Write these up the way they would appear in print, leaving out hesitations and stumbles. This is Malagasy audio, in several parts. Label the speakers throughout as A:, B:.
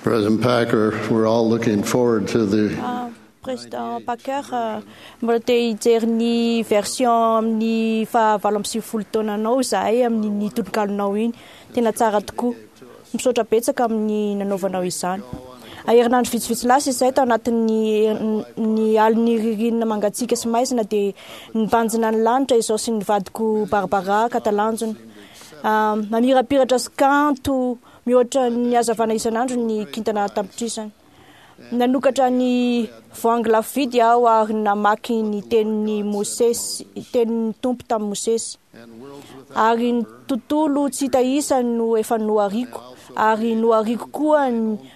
A: President Packer, we're all looking forward to the
B: Président Packer, mbola te hijery ny version amin'ny faha 98 taonanao izahay amin'ny tononkalonao iny. Tena tsara tokoa. Misaotra betsaka amin'ny nanaovanao izany. Herinandro vitsivitsy lasa izay tao anatin'ny ny alin'ny ririnina mangatsiaka sy maizina dia nibanjina ny lanitra izao sy ny vadiko Barbara ka talanjona. Mamirapiratra sy kanto mihoatra ny hazavana isan'andro ny kintana an-tapitrisany. Nanokatra ny voahangy lafo vidy aho ary namaky ny tenin'i Mosesy, tenin'ny Tompo tamin'i Mosesy. Ary ny tontolo tsy hita isa no efa nohariako, ary nohariako koa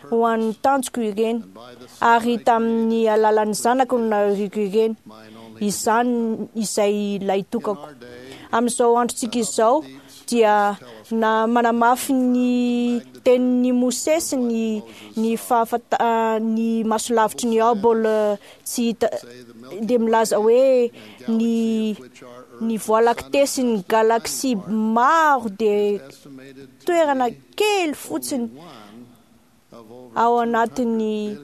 B: ho an'ny tanjoko ireny, ary tamin'ny alalan'ny Zanako no nahariako ireny, izany izay lahitokako. Amin'izao androntsika izao dia na manamafy ny tenin'i Mosesy ny ny fahafanta ny masolavitry ny Hubble tsy hita dia milaza hoe ny ny Voie lactée sy ny galaxie maro dia toerana kely fotsiny ao anatin'ny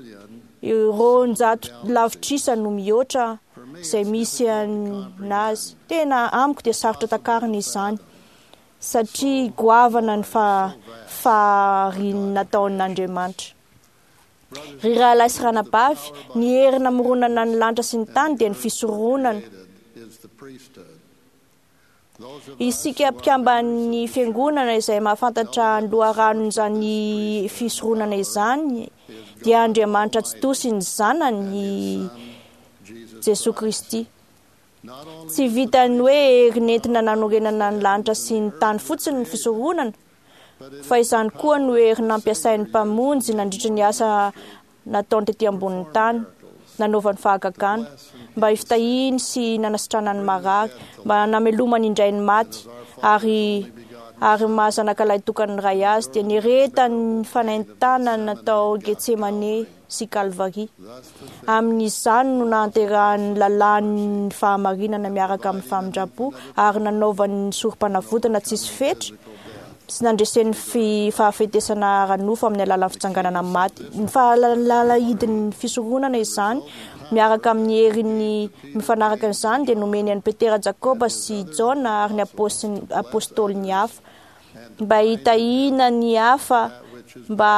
B: 200 lavitrisa no mihoatra izay misy anazy. Tena amiko dia sarotra takarina izany satria goavana ny fahariana nataon'Andriamanitra. Ry rahalahy sy ranabavy, ny hery namoronana ny lanitra sy ny tany dia ny fisoronana. Isika mpikamban'ny fiangonana izay mahafantatra ny loharanon'izany fisoronana izany dia Andriamanitra Tsitoha sy ny Zanany Jesoa Kristy. Tsy vitan'ny hoe hery nentina nanorenana ny lanitra sy ny tany fotsiny ny fisoronana, fa izany koa no hery nampiasain'ny Mpamonjy nandritra ny asa nataony tety ambonin'ny tany, nanaovany fahagagana, mba hifitahiany sy nanasitranany ny marary, mba namelomany indray ny maty, ary ary maha zanaka lahitokan'ny Ray azy, dia niaretany ny fanaintanana tao Getsemane sy Kalvary. Amin'izany no nahanterahany ny lalàn'ny fahamarinana miaraka amin'ny famindram-po ary nanaovany ny sorom-panavotana tsisy fetra sy nandreseny ny fahafetesana ara-nofo amin'ny alalan'ny fitsanganana amin'ny maty. Ny fahalalahidin'ny fisoronana izany miaraka amin'ny heriny mifanaraka amin'izany dia nomeny an'i Petera, Jakoba sy Jaona ary ny apôstôliny hafa mba hitahiana ny hafa mba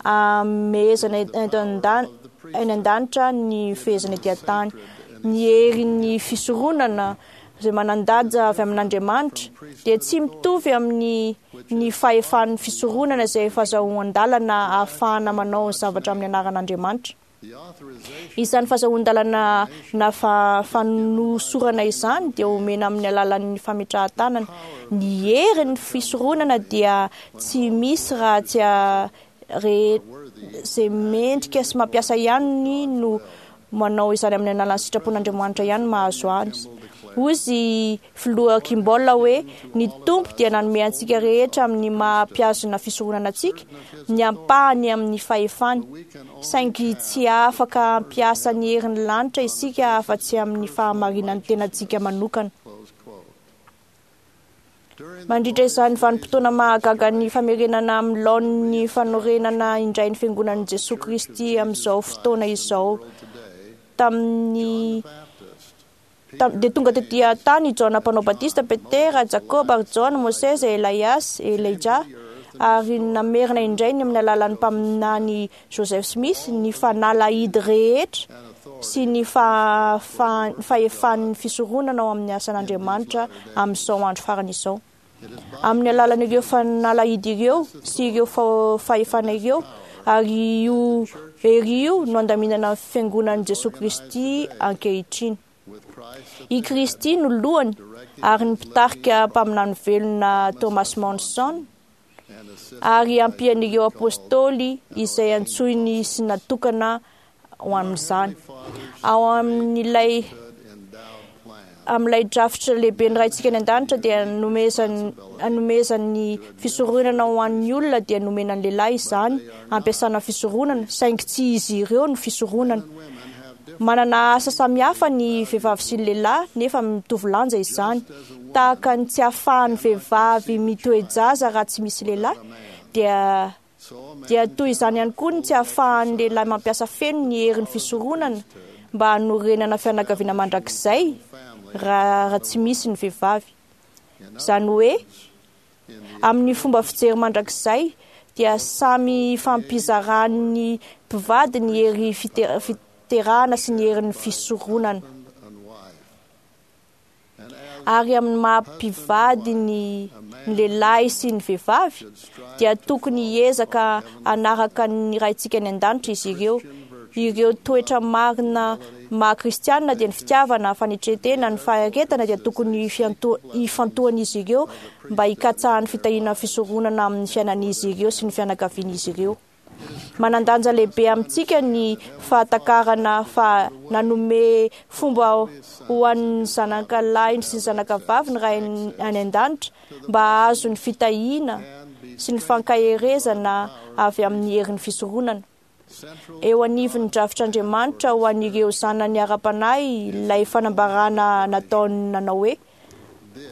B: hamehezana any an-danitra ny fehezana ety an-tany. Ny herin'ny fisoronana izay manan-danja avy amin'Andriamanitra dia tsy mitovy amin'ny ny fahefan'ny fisoronana izay fahazahoan-dalana ahafahana manao ny zavatra amin'ny anaran'Andriamanitra. Izany fahazahoan-dalana na fanosorana izany dia omena amin'ny alalan'ny fametrahan-tanana. Ny herin'ny fisoronana dia tsy misy raha tsy izay mendrika sy mampiasa ihany no manao izany amin'ny alalan'ny sitrapon'Andriamanitra ihany mahazo azy. Hoy izy Filoha Kimball hoe, Ny Tompo dia nanome antsika rehetra amin'ny maha mpihazona fisoronana antsika ny ampahany amin'ny fahefany, saingy tsy afaka hampiasa ny herin'ny lanitra isika afa-tsy amin'ny fahamarinan'ny tenantsika manokana. Mandritra izany vanim-potoana mahagaga ny famerenana amin'ny laoniny fanorenana indray ny Fiangonan'i Jesoa Kristy amin'izao fotoana izao, tamin'ny dia tonga tetỳ an-tany i Jaona Mpanao Batista, Petera, Jakoba ary Jaona, Mosesy, Elaiasy, Elijah, ary namerina indray ny amin'ny alalan'ny mpaminany Joseph Smith ny fanalahidy rehetra sy ny fahefan'ny fisoronana ao amin'ny asan'Andriamanitra amin'izao andro farany izao. Amin'ny alalan'ireo fanalahidy ireo sy ireo fahefana ireo ary io hery io no andaminana ny Fiangonan'i Jesoa Kristy ankehitriny. I Kristy no lohany ary ny mpitarika mpaminany velona Thomas Monson ary ampian'ireo Apôstôly izay antsoiny sy natokana ho amin'izany. Ao amin'ilay amin'ilay drafitra lehibe ny Raintsika any an-danitra dia nomezany anomezany fisoronana ho an'ny olona dia nomena ny lehilahy izany ampiasana fisoronana saingy tsy izy ireo no fisoronana. Manana asa samihafa ny vehivavy sy ny lehilahy nefa mitovy lanja izany. Tahaka ny tsy ahafahan'ny vehivavy mitoe-jaza raha tsy misy lehilahy dia. Dia toy izany ihany koa ny tsy ahafahan'ny lehilahy mampiasa feno ny herin'ny fisoronana mba hanorenana fianakaviana mandrakizay raha tsy misy ny vehivavy. Izany hoe, amin'ny fomba fijery mandrakizay dia samy ifampizaran'ny mpivady ny hery fiterahana sy ny herin'ny fisoronana. Ary amin'ny maha mpivady ny lehilahy sy ny vehivavy dia tokony hiezaka hanaraka ny Raintsika any an-danitra izy ireo. Ireo toetra marina maha kristianina dia ny fitiavana, fanetren-tena, ny faharetana dia tokony hifantohan'izy ireo mba hikatsahan'ny fitahiana fisoronana amin'ny fiainan'izy ireo sy ny fianakavian'izy ireo. Manan-danja lehibe amintsika ny fahatakarana fa nanome fomba ho an'ny zanaka lahiny sy ny zanaka vavy ny Ray any an-danitra mba hahazo ny fitahiana sy ny fankaherezana avy amin'ny herin'ny fisoronana. Eo anivon'ny drafitr'Andriamanitra ho an'ireo zanany ara-panahy ilay fanambarana nataony nanao hoe: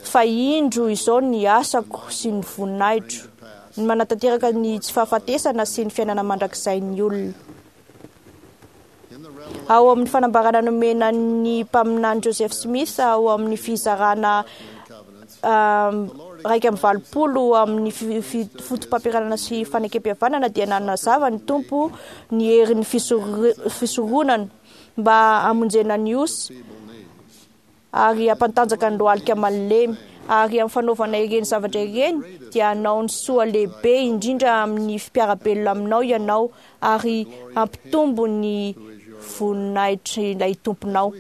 B: Fa indro izao ny asako sy ny voninahitro, ny manatanteraka ny tsy fahafatesana sy ny fiainana mandrakizain'ny olona. Ao amin'ny fanambarana nomena ny mpaminany Joseph Smith ao amin'ny fizarana 81 amin'ny fotopampianarana sy fanekempihavanana dia nanazava ny Tompo ny herin'ny fisoronana mba hamonjena ny osy ary hampantanjaka ny lohalika malemy. Ary amin'ny fanaovana ireny zavatra ireny dia hanao ny soa lehibe indrindra amin'ny mpiara-belona aminao ianao ary hampitombo ny voninahitr'ilay Tomponao.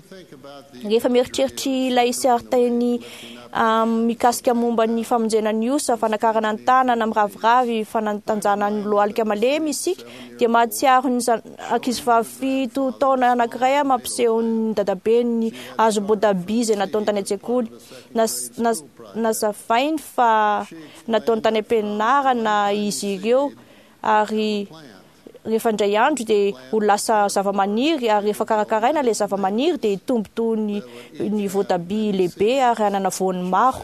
B: Rehefa mieritreritra ilay sarin-teny mikasika momba ny famonjena ny osa, fanakarana ny tanana miraviravy, fanatanjahana ny lohalika malemy isika, dia mahatsiaro ny ankizivavy 7 taona anankiray mampiseho ny dadabeny hazom-boatabia izay nataony tany an-tsekoly. Nazavainy fa nataony tany am-pianarana izy ireo ary rehefa indray andro dia ho lasa zava-maniry ary rehefa karakaraina ilay zava-maniry dia hitombo toy ny voatabia lehibe ary hanana voany maro.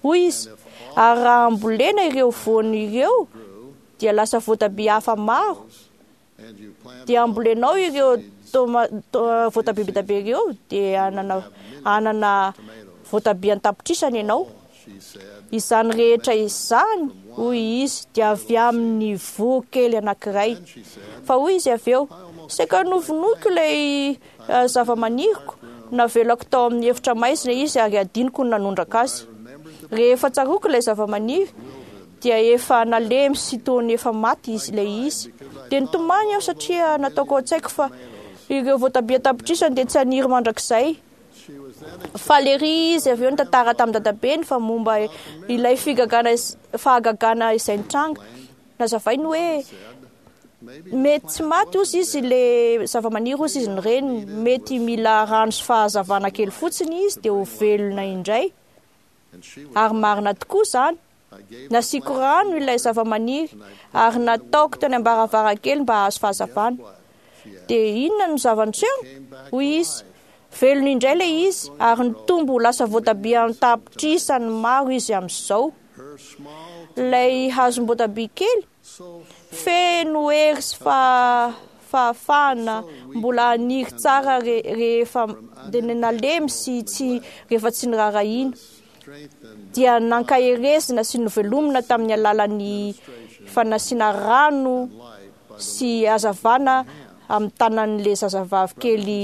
B: Hoy izy, ary raha ambolena ireo voany ireo dia lasa voatabia hafa maro. Dia ambolenao ireo voatabia be dia be ireo dia hanana voatabia an-tapitrisany ianao. Izany rehetra izany, hoy izy, dia avy amin'ny voa kely anankiray. Fa hoy izy avy eo, saika novonoiko ilay zava-maniriko, navelako tao amin'ny efitra maizina izy ary adinoko ny nanondraka azy. Rehefa tsaroako ilay zava-maniry, dia efa nalemy sy toa ny efa maty izy ilay izy. Dia nitomany aho satria nataoko ao an-tsaiko fa ireo voatabia an-tapitrisany dia tsy haniry mandrakizay. Faly ery izy avy eo nitantara tamin'ny dadabeny fa momba ilay figagana fahagagana izay nitranga. Nazavainy hoe mety tsy maty ozy izy le zava-maniry ozy izy ny reniny, mety mila rano sy fahazavana kely fotsiny izy dia ho velona indray. Ary marina tokoa izany. Nasiako rano ilay zava-maniry ary nataoko teny am-baravarankely mba hahazo fahazavana. Dia inona no zava-niseho? Hoy izy, velona indray ilay izy ary nitombo ho lasa voatabia an-tapitrisany maro izy amin'izao. Ilay hazom-boatabia kely, feno hery sy fahafahana mbola haniry tsara rehefa nalemy sy tsy rehefa tsy niraharahiana. Dia nankaherezina sy novelomina tamin'ny alalan'ny fanasiana rano sy hazavana amin'ny tanan'ilay zazavavy kely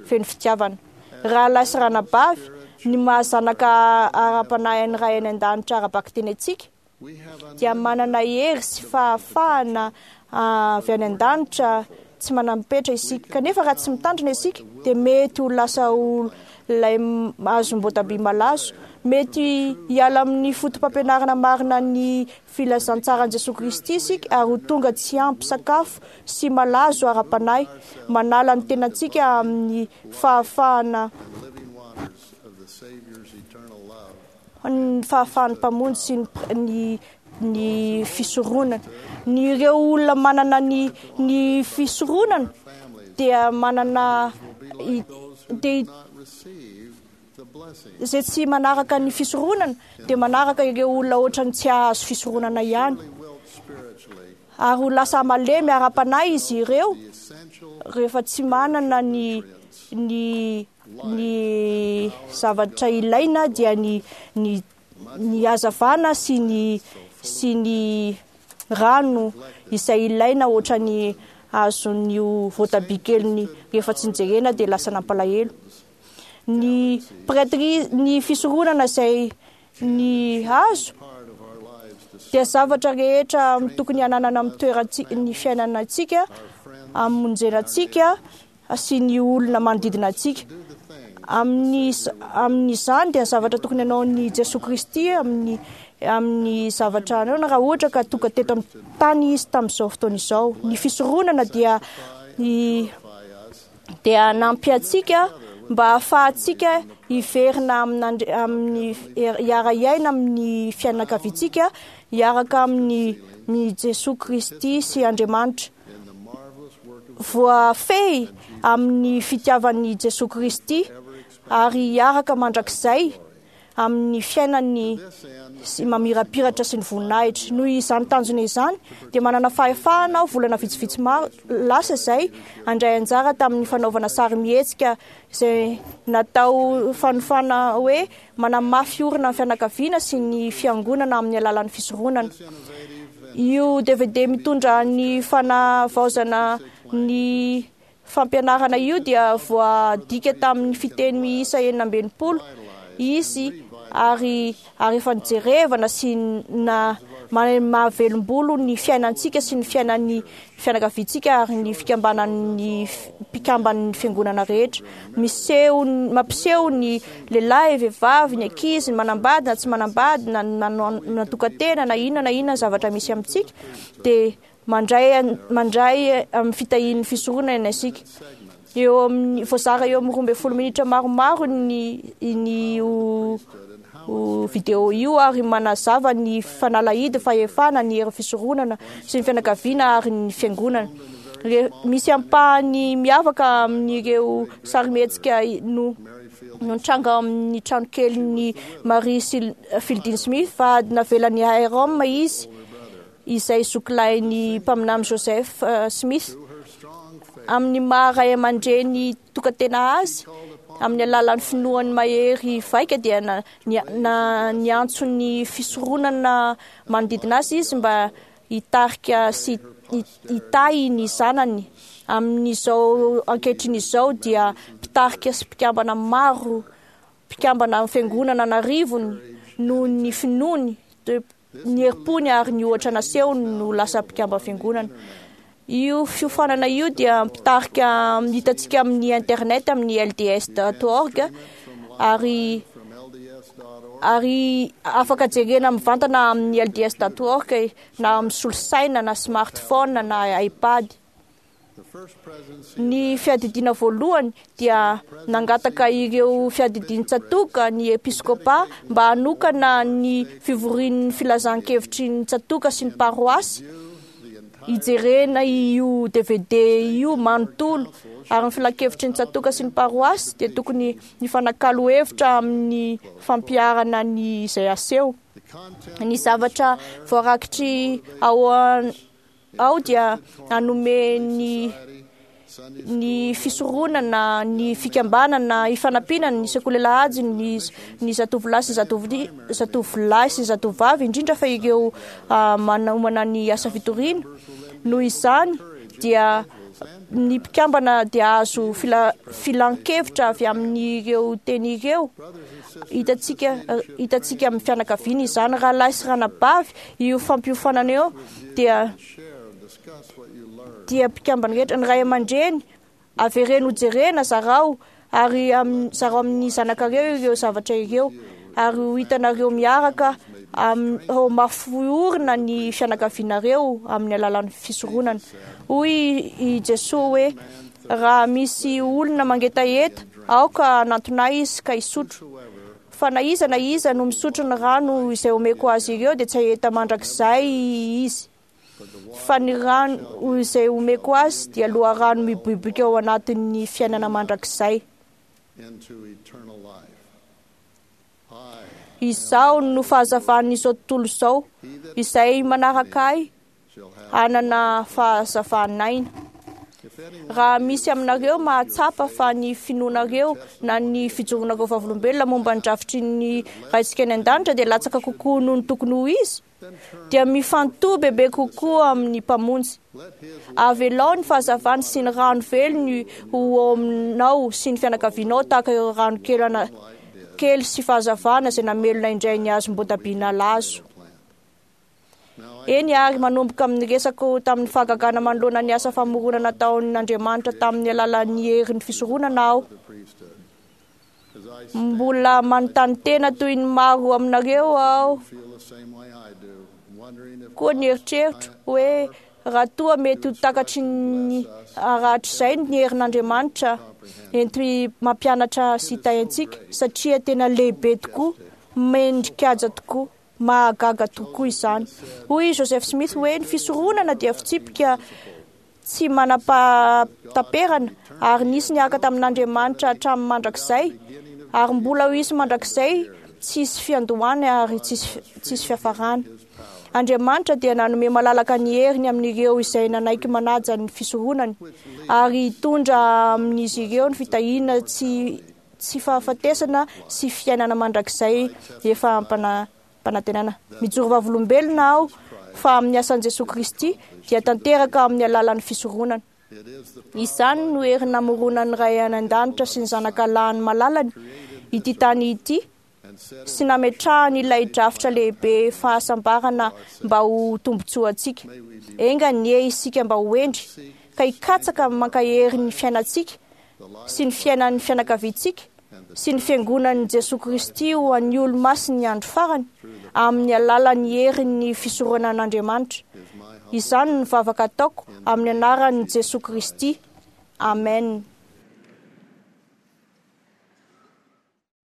B: feno fitiavana. Rahalahy sy ranabavy, ny maha zanaka ara-panahy an'ny Ray any An-danitra ara-bakiteny antsika dia manana hery sy fahafahana avy any an-danitra tsy manam-petra isika. Kanefa raha tsy mitandrina isika dia mety ho lasa ho ilay hazom-boatabia malazo. Mety hiala amin'ny fotopampianarana marina ny filazantsaran'i Jesoa Kristy isika ary ho tonga tsy ampy sakafo sy malazo ara-panahy, manala ny tenantsika amin'ny fahafahana ny fahafahan'ny Mpamonjy sy ny ny fisoronana. Ny ireo olona manana ny ny fisoronana dia manana dia izay tsy manaraka ny fisoronana dia manaraka ireo olona ohatran'ny tsy hahazo fisoronana ihany. Ary ho lasa malemy ara-panahy izy ireo rehefa tsy manana ny ny ny zavatra ilaina, dia ny ny ny hazavana sy ny sy ny rano izay ilaina, ohatran'ny azon'io voatabia keliny rehefa tsy nijerena dia lasa nampalahelo. Ny prêtrise, ny fisoronana izay ny hazo dia zavatra rehetra tokony hananana amin'ny toerantsika, ny fiainanantsika, hamonjena antsika sy ny olona manodidina antsika. Amin'ny amin'izany dia zavatra tokony hanaon'i Jesoa Kristy amin'ny amin'ny zavatra anaona raha ohatra ka tonga teto amin'ny tany izy tamin'izao fotoana izao. Ny fisoronana dia ny dia hanampy antsika mba hahafahantsika hiverina amin'Andri-, amin'ny hiara-hiaina amin'ny fianakaviantsika, hiaraka amin'ny ny Jesoa Kristy sy Andriamanitra. Voafehy amin'ny fitiavan'i Jesoa Kristy ary hiaraka mandrakizay amin'ny fiainany sy mamirapiratra sy ny voninahitra. Noho izany tanjona izany dia manana fahefahana aho volana vitsivitsy maro lasa izay handray anjara tamin'ny fanaovana sarimihetsika izay natao fanofana hoe manamafy orina ny fianakaviana sy ny fiangonana amin'ny alalan'ny fisoronana. Io DVD mitondra ny fanavaozana ny fampianarana io dia voadika tamin'ny fiteny miisa 66 izy ary ary efa nijerevana sy na mahavelombolo ny fiainantsika sy ny fiainan'ny fianakaviantsika ary ny fikambanan'ny mpikamban'ny fiangonana rehetra. Miseho, mampiseho ny lehilahy, vehivavy, ny ankizy, ny manambady na tsy manambady, na natokan-tena na inona na inona zavatra misy amintsika, dia mandray mandray amin'ny fitahian'ny fisoronana isika. Eo amin'ny voazara eo amin'ny 12 minitra maromaro ny ny io video io ary manazava ny fanalahidy, fahefana, ny hery fisoronana sy ny fianakaviana ary ny fiangonana. Misy ampahany miavaka amin'ireo sarimihetsika no nitranga amin'ny tranokelin'i Marie Fielding Smith fa navelan'i Hyrum izy, izay zokilahin'ny mpaminany Joseph Smith. Amin'ny maha ray aman-dreny tokantena azy, amin'ny alalan'ny finoany mahery vaika dia niantso ny fisoronana manodidina azy izy mba hitarika sy hitahy ny zanany. Amin'izao ankehitriny izao dia mpitarika sy mpikambana maro, mpikambana amin'ny fiangonana an'arivony noho ny finoany, ny herim-pony ary ny ohatra nasehony no lasa mpikambana fiangonana. Io fiofanana io dia mpitarika hitantsika amin'ny internet amin'ny lds.org ary ary afaka jerena mivantana amin'ny lds.org na amin'ny solosaina na smartphone na iPad. Ny fiadidiana voalohany dia nangataka ireo fiadidian-tsatoka ny episkopa mba hanokana ny fivorian'ny filazan-kevitry ny tsatoka sy ny paroasy hijerena io DVD io manontolo, ary ny filankevitry ny tsatoka sy ny paroasy dia tokony hifanakalo hevitra amin'ny fampiharana ny izay aseho. Ny zavatra voarakitry ao ao dia hanome ny ny fisoronana, ny fikambanana, ifanampiana ny sekoly alahady, ny ny zatovolahy sy zatovolahy sy zatovovavy, indrindra fa ireo manomana ny asa fitoriana. Noho izany dia ny mpikambana dia azo filan-kevitra avy amin'ireo teny ireo. Hitantsika hitantsika amin'ny fianakaviana izany, rahalahy sy ranabavy, io fampiofanana io dia dia mpikambana rehetra, ny ray aman-dreny, avereno hojerena, zarao ary zarao amin'ny zanakareo ireo zavatra ireo, ary ho hitanareo miaraka ho mafy orina ny fianakavianareo amin'ny alalan'ny fisoronana. Hoy i Jesoa hoe, raha misy olona mangetaheta, aoka hanantona ahy izy ka hisotro. Fa na iza na iza no misotro ny rano izay omeko azy ireo dia tsy haheta mandrakizay izy. Fa ny rano izay omeko azy dia loharano miboiboika ao anatin'ny fiainana mandrakizay. Izaho no fahazavan'izao tontolo izao, izay manaraka ahy hanana fahazavan'aina. Raha misy aminareo mahatsapa fa ny finoanareo na ny fijoronareo vavolombelona momba ny drafitry ny Raintsika any an-danitra dia latsaka kokoa noho ny tokony ho izy, dia mifantoha bebe kokoa amin'ny Mpamonjy. Avelao ny fahazavany sy ny rano velony ho ao aminao sy ny fianakavianao tahaka ireo rano kely ana- kely sy fahazavana izay namelona indray ny hazom-boatabia nalazo. Eny ary manomboka amin'ny resako tamin'ny fahagagana manoloana ny asa famoronana nataon'Andriamanitra tamin'ny alalan'ny herin'ny fisoronana aho. Mbola manontany tena toy ny maro aminareo aho koa ny eritreritro hoe raha toa mety ho takatry ny rahatrizay ny herin'Andriamanitra enti mampianatra sy hitahy antsika satria tena lehibe tokoa, mendrikaja tokoa, mahagaga tokoa izany. Hoy Joseph Smith hoe ny fisoronana dia fitsipika tsy manam-pahataperana ary nisy niaraka tamin'Andriamanitra hatramin'ny mandrakizay ary mbola ho hisy mandrakizay, tsisy fiandohana ary tsisy fiafarana. Andriamanitra dia nanome malalaka ny heriny amin'ireo izay nanaiky manaja ny fisoronany ary hitondra amin'izy ireo ny fitahiana tsy fahafatesana sy fiainana mandrakizay efa ampanantenana. Mijoro vavolombelona aho fa amin'ny asan'i Jesoa Kristy dia tanteraka amin'ny alalan'ny fisoronana. Izany no hery namoronan'ny Ray any an-danitra sy ny Zanaka lahiny malalany ity tany ity sy nametrahany ilay drafitra lehibe fahasambarana mba ho tombontsoantsika. Enga anie isika mba ho hendry ka hikatsaka mankahery ny fiainantsika sy ny fiainan'ny fianakaviantsika sy ny fiangonan'i Jesoa Kristy ho an'ny olo-masin'ny andro farany amin'ny alalan'ny herin'ny fisoronan'Andriamanitra. Izany no vavaka ataoko amin'ny anaran'i Jesoa Kristy. Amen.